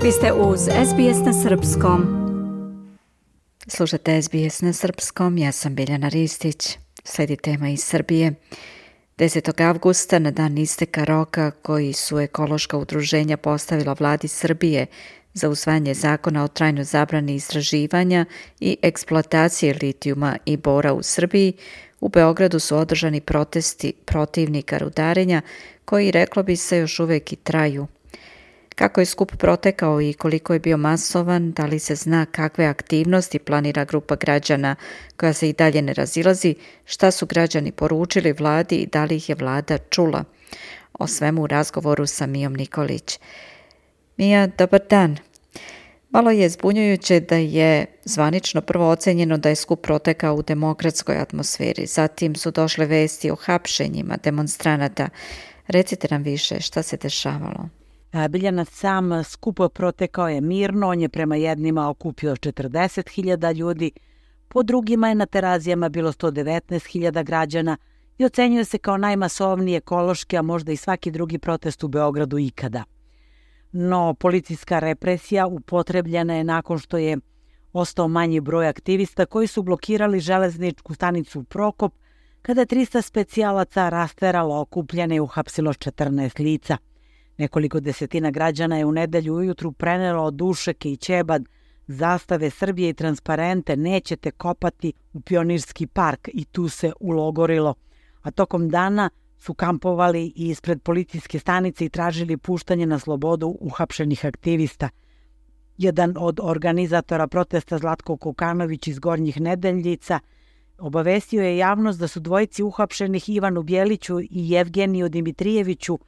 Vi ste uz SBS na Srpskom. Slušate SBS na Srpskom, ja sam Biljana Ristić. Slijedi tema iz Srbije. 10. avgusta, na dan isteka roka koji su ekološka udruženja postavila vladi Srbije za usvajanje zakona o trajnoj zabrani istraživanja i eksploatacije litijuma i bora u Srbiji, u Beogradu su održani protesti protivnika rudarenja koji, reklo bi se, još uvijek i traju. Kako je skup protekao i koliko je bio masovan, da li se zna kakve aktivnosti planira grupa građana koja se i dalje ne razilazi, šta su građani poručili vladi i da li ih je vlada čula? O svemu u razgovoru sa Mijom Nikolić. Mija, dobar dan. Malo je zbunjujuće da je zvanično prvo ocenjeno da je skup protekao u demokratskoj atmosferi. Zatim su došle vesti o hapšenjima demonstranata. Recite nam više šta se dešavalo. Biljana, sam skup protekao je mirno, on je prema jednima okupio 40.000 ljudi, po drugima je na Terazijama bilo 119.000 građana i ocenjuje se kao najmasovniji ekološki, a možda i svaki drugi protest u Beogradu ikada. No, policijska represija upotrebljena je nakon što je ostao manji broj aktivista koji su blokirali železničku stanicu Prokop, kada je 300 specijalaca rasteralo okupljene i uhapsilo 14 lica. Nekoliko desetina građana je u nedelju ujutru prenelo dušeke i ćebad, zastave Srbije i transparente "Nećete kopati" u Pionirski park i tu se ulogorilo. A tokom dana su kampovali i ispred policijske stanice i tražili puštanje na slobodu uhapšenih aktivista. Jedan od organizatora protesta, Zlatko Kokanović iz Gornjih Nedeljica, obavestio je javnost da su dvojici uhapšenih, Ivanu Bjeliću i Jevgeniju Dimitrijeviću,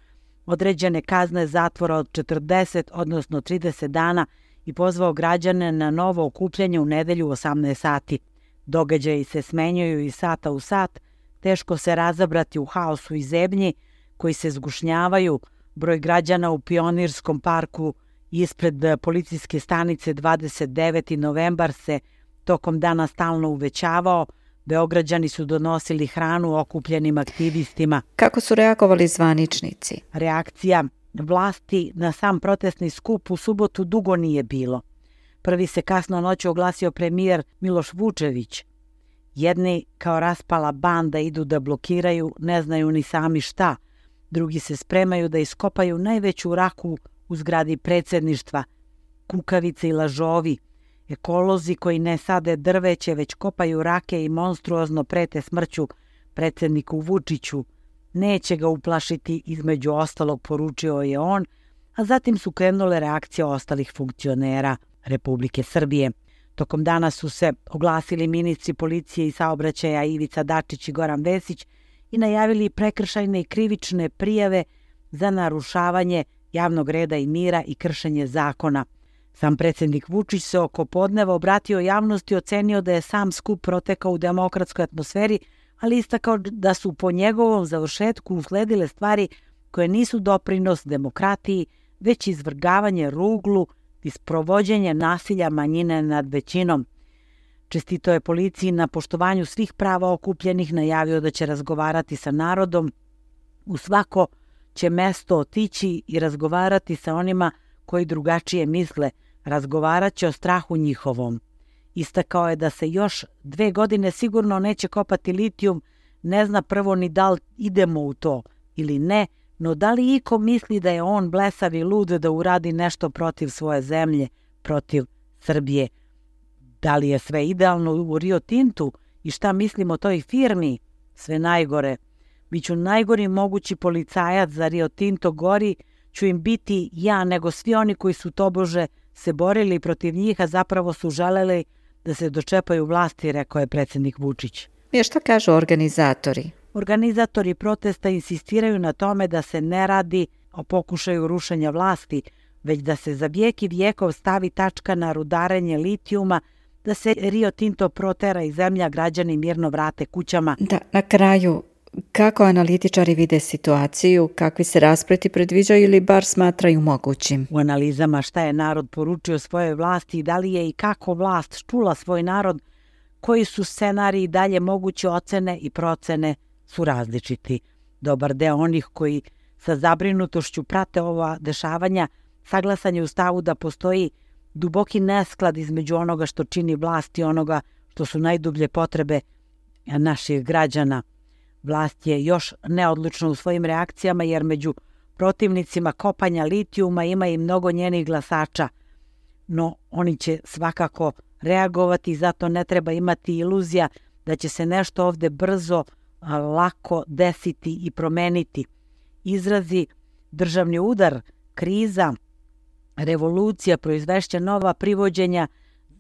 određene kazne zatvora od 40, odnosno 30 dana i pozvao građane na novo okupljanje u nedelju u 18 sati. Događaji se smenjuju iz sata u sat, teško se razabrati u haosu i zebnji koji se zgušnjavaju. Broj građana u Pionirskom parku ispred policijske stanice 29. novembar se tokom dana stalno uvećavao. Beograđani su donosili hranu okupljenim aktivistima. Kako su reagovali zvaničnici? Reakcija vlasti na sam protestni skup u subotu dugo nije bilo. Prvi se kasno noću oglasio premijer Miloš Vučević. Jedni kao raspala banda idu da blokiraju, ne znaju ni sami šta. Drugi se spremaju da iskopaju najveću raku u zgradi predsjedništva. Kukavice i lažovi. Ekolozi koji ne sade drveće, već kopaju rake i monstruozno prete smrću predsjedniku Vučiću. Neće ga uplašiti, između ostalog poručio je on, a zatim su krenule reakcije ostalih funkcionera Republike Srbije. Tokom dana su se oglasili ministri policije i saobraćaja Ivica Dačić i Goran Vesić i najavili prekršajne i krivične prijave za narušavanje javnog reda i mira i kršenje zakona. Sam predsjednik Vučić se oko podneva obratio javnosti i ocenio da je sam skup protekao u demokratskoj atmosferi, ali istakao da su po njegovom završetku usledile stvari koje nisu doprinos demokratiji, već izvrgavanje ruglu i sprovođenje nasilja manjine nad većinom. Čestito je policiji na poštovanju svih prava okupljenih, najavio da će razgovarati sa narodom. U svako će mesto otići i razgovarati sa onima koji drugačije misle, razgovarat će o strahu njihovom. Istakao je da se još 2 godine sigurno neće kopati litijum, ne zna prvo ni da li idemo u to ili ne, no da li iko misli da je on blesav i lud da uradi nešto protiv svoje zemlje, protiv Srbije. Da li je sve idealno u Rio Tintu i šta mislimo o toj firmi? Sve najgore. Biću najgori mogući policajac za Rio Tinto, gori ću im biti ja nego svi oni koji su tobože se borili protiv njih, a zapravo su želeli da se dočepaju vlasti, rekao je predsjednik Vučić. I šta kažu organizatori? Organizatori protesta insistiraju na tome da se ne radi o pokušaju rušenja vlasti, već da se za vijek i vijekov stavi tačka na rudarenje litijuma, da se Rio Tinto protera i zemlja, građani mirno vrate kućama. Da, na kraju, kako analitičari vide situaciju, kakvi se raspleti predviđaju ili bar smatraju mogućim? U analizama šta je narod poručio svojoj vlasti i da li je i kako vlast čula svoj narod, koji su scenariji dalje moguće, ocene i procene su različiti. Dobar deo onih koji sa zabrinutošću prate ova dešavanja saglasan je u stavu da postoji duboki nesklad između onoga što čini vlast i onoga što su najdublje potrebe naših građana. Vlast je još neodlučna u svojim reakcijama jer među protivnicima kopanja litijuma ima i mnogo njenih glasača, no oni će svakako reagovati i zato ne treba imati iluzija da će se nešto ovde brzo, lako desiti i promeniti. Izrazi državni udar, kriza, revolucija, proizvešća nova privođenja,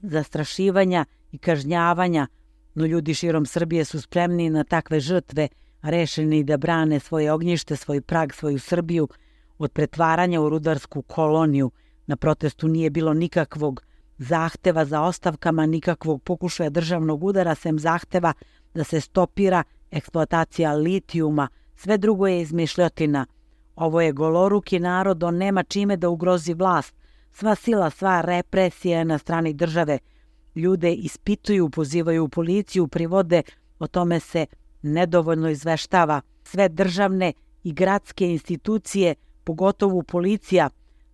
zastrašivanja i kažnjavanja, no ljudi širom Srbije su spremni na takve žrtve, rešeni da brane svoje ognjište, svoj prag, svoju Srbiju od pretvaranja u rudarsku koloniju. Na protestu nije bilo nikakvog zahteva za ostavkama, nikakvog pokušaja državnog udara, sem zahteva da se stopira eksploatacija litijuma. Sve drugo je izmišljotina. Ovo je goloruki narod, on nema čime da ugrozi vlast. Sva sila, sva represija je na strani države. Ljude ispituju, pozivaju u policiju, privode, o tome se nedovoljno izveštava. Sve državne i gradske institucije, pogotovo policija,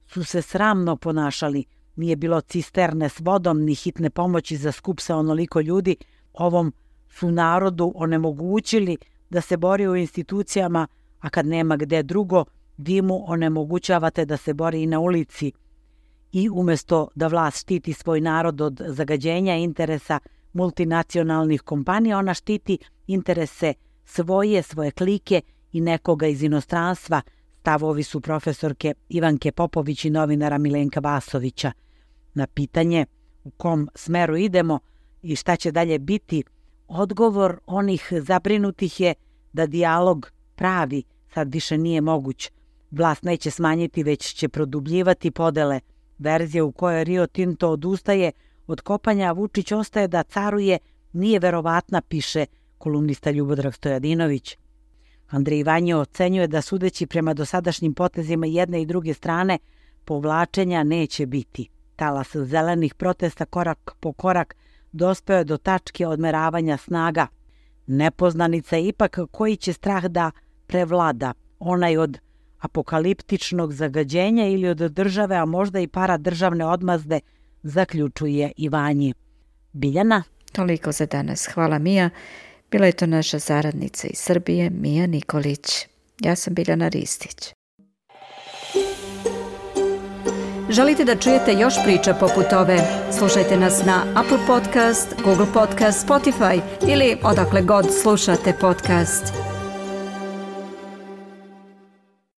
su se sramno ponašali. Nije bilo cisterne s vodom ni hitne pomoći za skup sa onoliko ljudi. Ovom su narodu onemogućili da se bori u institucijama, a kad nema gde drugo, vi mu onemogućavate da se bori i na ulici. I umjesto da vlast štiti svoj narod od zagađenja interesa multinacionalnih kompanija, ona štiti interese svoje klike i nekoga iz inostranstva. Stavovi su profesorke Ivanke Popović i novinara Milenka Vasovića. Na pitanje u kom smeru idemo i šta će dalje biti, odgovor onih zabrinutih je da dijalog pravi sad više nije moguć. Vlast neće smanjiti, već će produbljivati podele. Verzija u kojoj Rio Tinto odustaje od kopanja, a Vučić ostaje da caruje, nije verovatna, piše kolumnista Ljubodrag Stojadinović. Andrej Ivanjo ocenjuje da sudeći prema dosadašnjim potezima jedne i druge strane, povlačenja neće biti. Talas zelenih protesta korak po korak dospeo je do tačke odmeravanja snaga. Nepoznanica je ipak koji će strah da prevlada, onaj od apokaliptičnog zagađenja ili od države, a možda i paradržavne odmazde, zaključuje Ivanji. Biljana? Toliko za danas. Hvala, Mija. Bila je to naša saradnica iz Srbije, Mija Nikolić. Ja sam Biljana Ristić. Želite da čujete još priča poput ove? Slušajte nas na Apple Podcast, Google Podcast, Spotify ili odakle god slušate podcast.